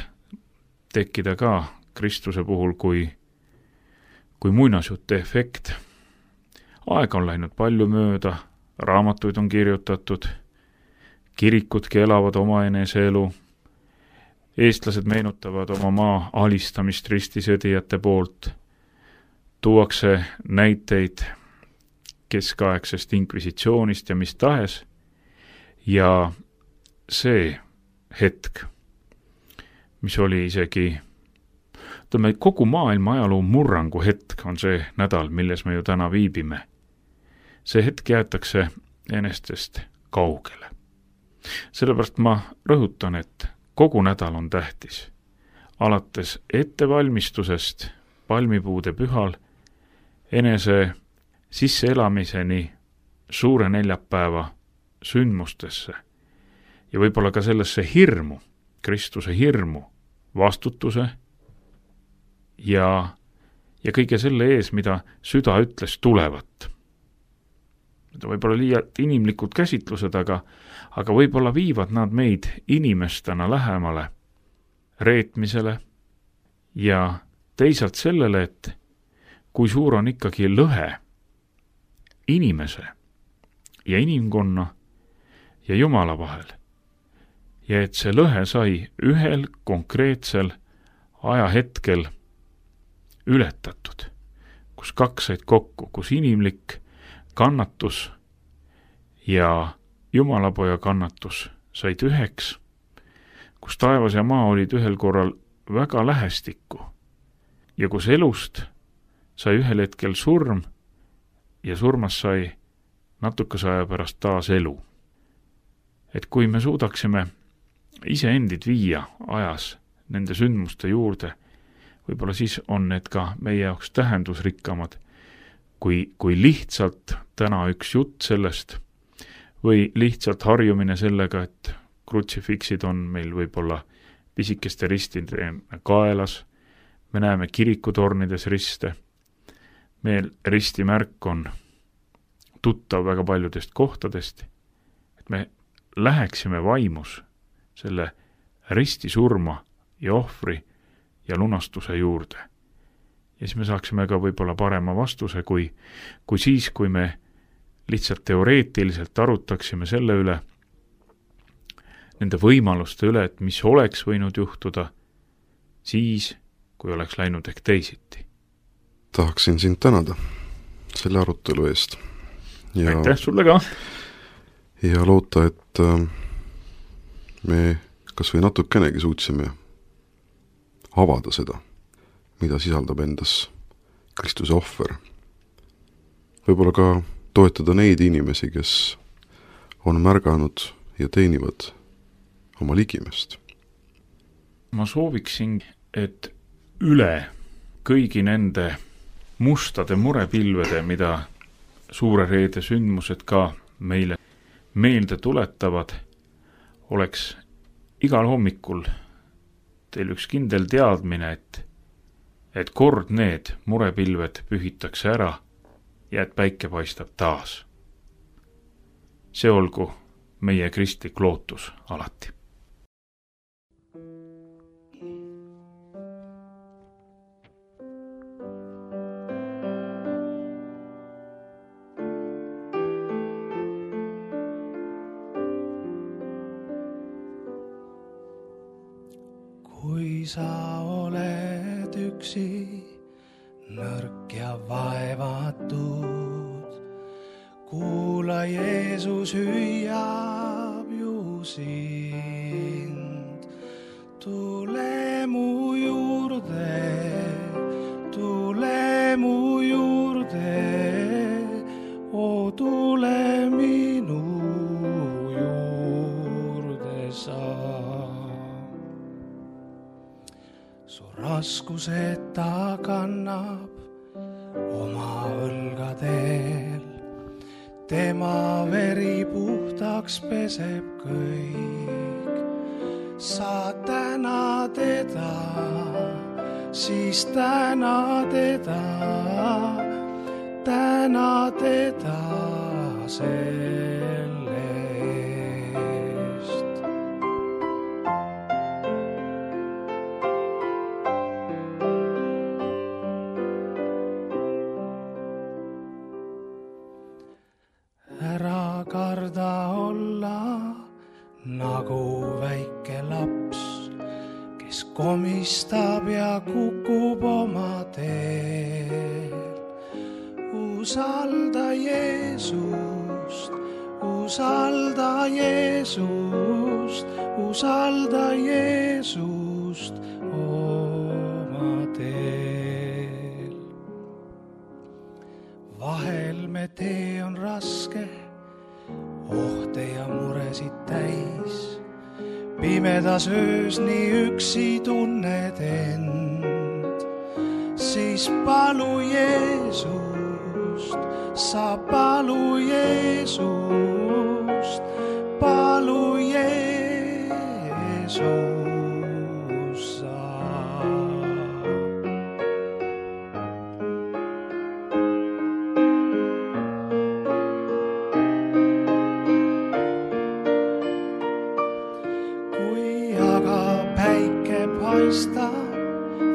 tekkida ka Kristuse puhul kui muinasjutte efekt. Aega on läinud palju mööda, raamatuid on kirjutatud, kirikudki elavad oma eneseelu, eestlased meenutavad oma maa alistamist ristisõdijate poolt, tuuakse näiteid keskaegsest inkvisitsioonist ja mis tahes, ja see hetk, mis oli isegi kogu maailma ajaloo murrangu hetk, on see nädal, milles me ju täna viibime. See hetk jäetakse enestest kaugele. Sellepärast ma rõhutan, et kogu nädal on tähtis. Alates ettevalmistusest palmipuude pühal enese sisseelamiseni suure neljapäeva sündmustesse ja võib-olla ka sellesse hirmu, Kristuse hirmu, vastutuse ja kõige selle ees, mida süda ütles tulevat. Need võib-olla liialt inimlikud käsitlused, aga võib-olla viivad nad meid inimestena lähemale reetmisele ja teisalt sellele, et kui suur on ikkagi lõhe inimese ja inimkonna ja Jumala vahel. Ja et see lõhe sai ühel konkreetsel ajahetkel ületatud, kus kaks said kokku, kus inimlik kannatus ja Jumalapoja kannatus said üheks, kus taevas ja maa olid ühel korral väga lähestikku ja kus elust sai ühel hetkel surm ja surmas sai natukese aja pärast taas elu. Et kui me suudaksime iseendid viia ajas nende sündmuste juurde, võib-olla siis on need ka meie jaoks tähendusrikkamad, kui lihtsalt täna üks jutt sellest või lihtsalt harjumine sellega, et krutsifiksid on meil võib-olla pisikeste ristide kaelas, me näeme kirikutornides riste, meil ristimärk on tuttav väga paljudest kohtadest, et me läheksime vaimus selle ristisurma ja ohvri ja lunastuse juurde. Ja siis me saaksime ka võib-olla parema vastuse, kui siis, kui me lihtsalt teoreetiliselt arutaksime selle üle, nende võimaluste üle, et mis oleks võinud juhtuda siis, kui oleks läinud ehk teisiti. Tahaksin sind tänada selle arutelu eest. Aitäh sulle ka! Ja loota, et me kas või natukenegi suutsime avada seda, mida sisaldab endas Kristuse ohver. Võib-olla ka toetada neid inimesi, kes on märganud ja teenivad oma ligimest. Ma sooviksin, et üle kõigi nende mustade murepilvede, mida suure reede sündmused ka meile meelde tuletavad, oleks igal hommikul teil üks kindel teadmine, et kord need murepilved pühitakse ära ja et päike paistab taas. See olgu meie kristlik lootus alati. Kui sa oled üksi, nõrk ja vaevatud, kuula, Jeesus hüüab ju sind. Tule mu juurde, o tule minu juurde sa. Su raskused ta kannab oma õlgadel, tema veri puhtaks peseb kõik. Sa täna teda, siis täna teda selle eest. Ära karda olla nagu väike laps, kes komistab ja kukub oma teel. Usalda Jeesust, usalda Jeesust, usalda Jeesust oma teel. Vahel me tee on raske, ohte ja muresid täis. Pimedas öös nii üksi tunned end, siis palu Jeesust, sa palu Jeesust, palu Jeesust sa.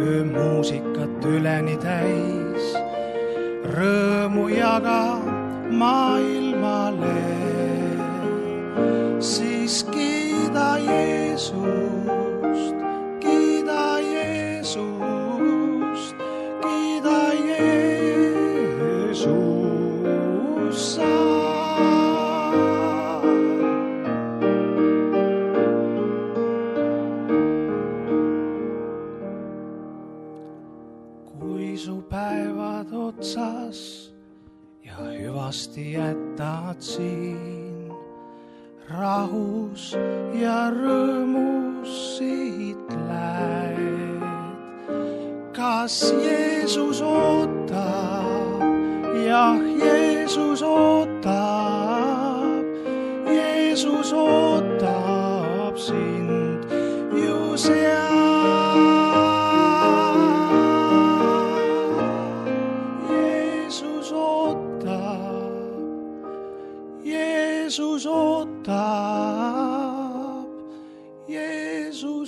Öömuusikat üleni täis, rõõmu jaga maailmale, siis kiida Jeesust, kiida Jeesust, kiida Jeesust sa. Kui su päevad otsas ja hüvasti jätad siin, rahus ja rõõmus siit lähed. Kas Jeesus ootab? Jah, Jeesus ootab, Jeesus ootab sind ju seal. Jeesus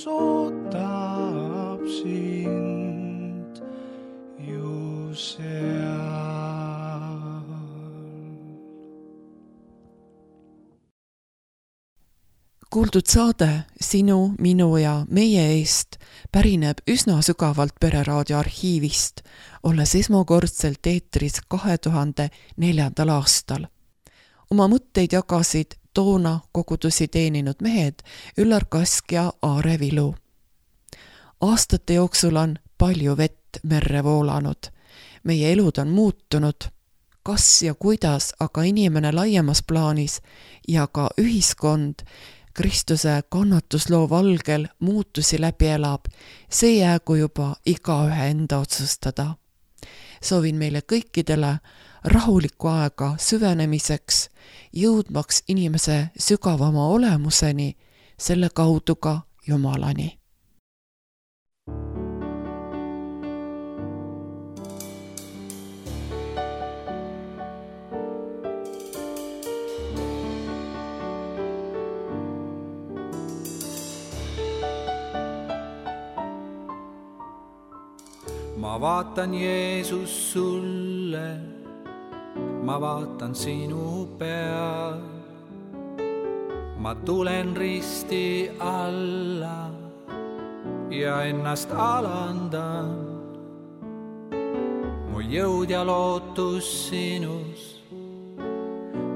ootab sind ju seal. Kuuldud saade Sinu, minu ja meie eest pärineb üsna sügavalt Pereraadio arhiivist, olles esmakordselt eetris 2004. aastal. Oma mõtteid jagasid toona kogudusi teeninud mehed Üllar Kask ja Aare Vilu. Aastate jooksul on palju vett merre voolanud. Meie elud on muutunud. Kas ja kuidas aga inimene laiemas plaanis ja ka ühiskond Kristuse kannatusloo valgel muutusi läbi elab, see jäägu juba igaühe enda otsustada. Soovin meile kõikidele rahulikku aega süvenemiseks, jõudmaks inimese sügavama olemuseni, selle kaudu ka Jumalani. ma vaatan Jeesus sulle, ma vaatan sinu peal. Ma tulen risti alla ja ennast alandan. Mu jõud ja lootus sinus,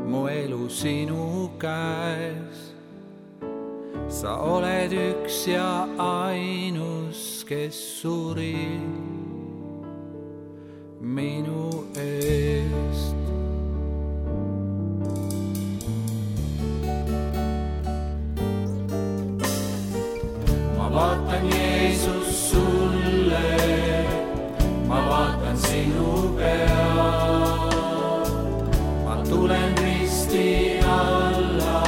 mu elu sinu käes. Sa oled üks ja ainus, kes suri minu eest. Ma vaatan Jeesus sulle, ma vaatan sinu peal. Ma tulen risti alla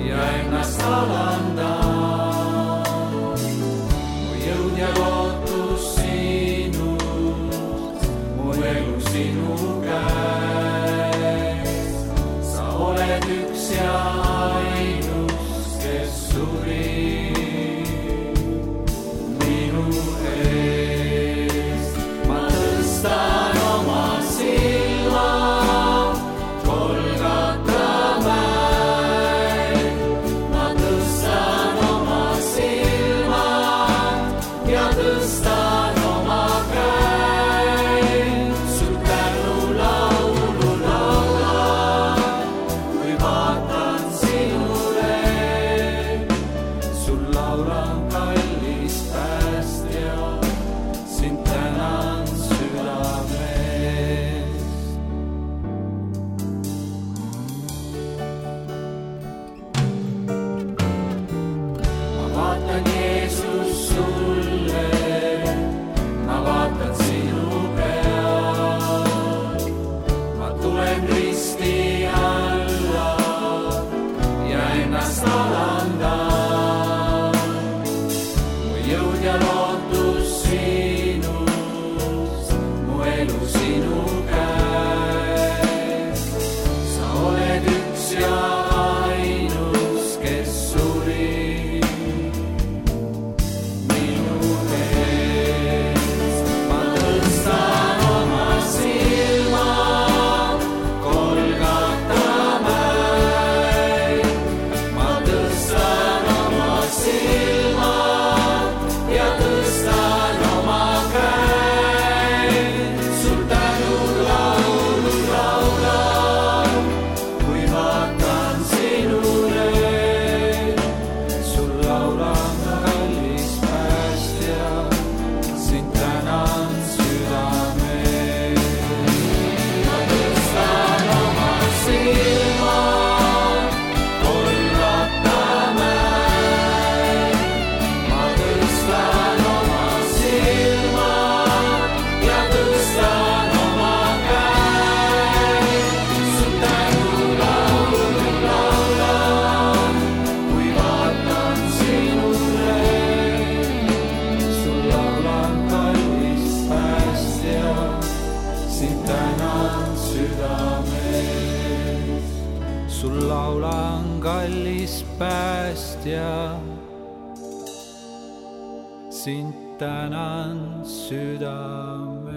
ja ennast alandan. Mu jõud ja lootus sinus, mu elu sinu käes. Sa oled üks ja ainus, kes suri minu eest. Ma tõstan oma silma Golgata mäel. Ma tõstan oma silmad ja tõstan oma käed. Sul tänu laulu laulan, kui vaatan sinule. Sul laulan kallis päästja, sind tänan südamest. Ma vaatan Jeesus sulle, ma vaatan sinu peal. Ma tulen risti alla ja ennast alandan. Mu jõud ja lootus sinus, mu elu sinu käes. Sa oled üks ja ainus, kes suri minu eest. Ma tõstan oma silmad Golgata mäel. Ma tõstan oma silmad ja tõstan oma käed. Sul tänu laulu laulan, kui vaatan sinule. Sul laulan kallis päästja, sind tänan südamest. Ma tõstan oma silmad Golgata mäel. Ma tõstan oma silmad ja tõstan oma käed. Sul tänu laulu laulan, kui vaatan sinule. Sul laulan kallis päästja, sind tänan südamest. Sul laulan kallis päästja, sind tänan südamest.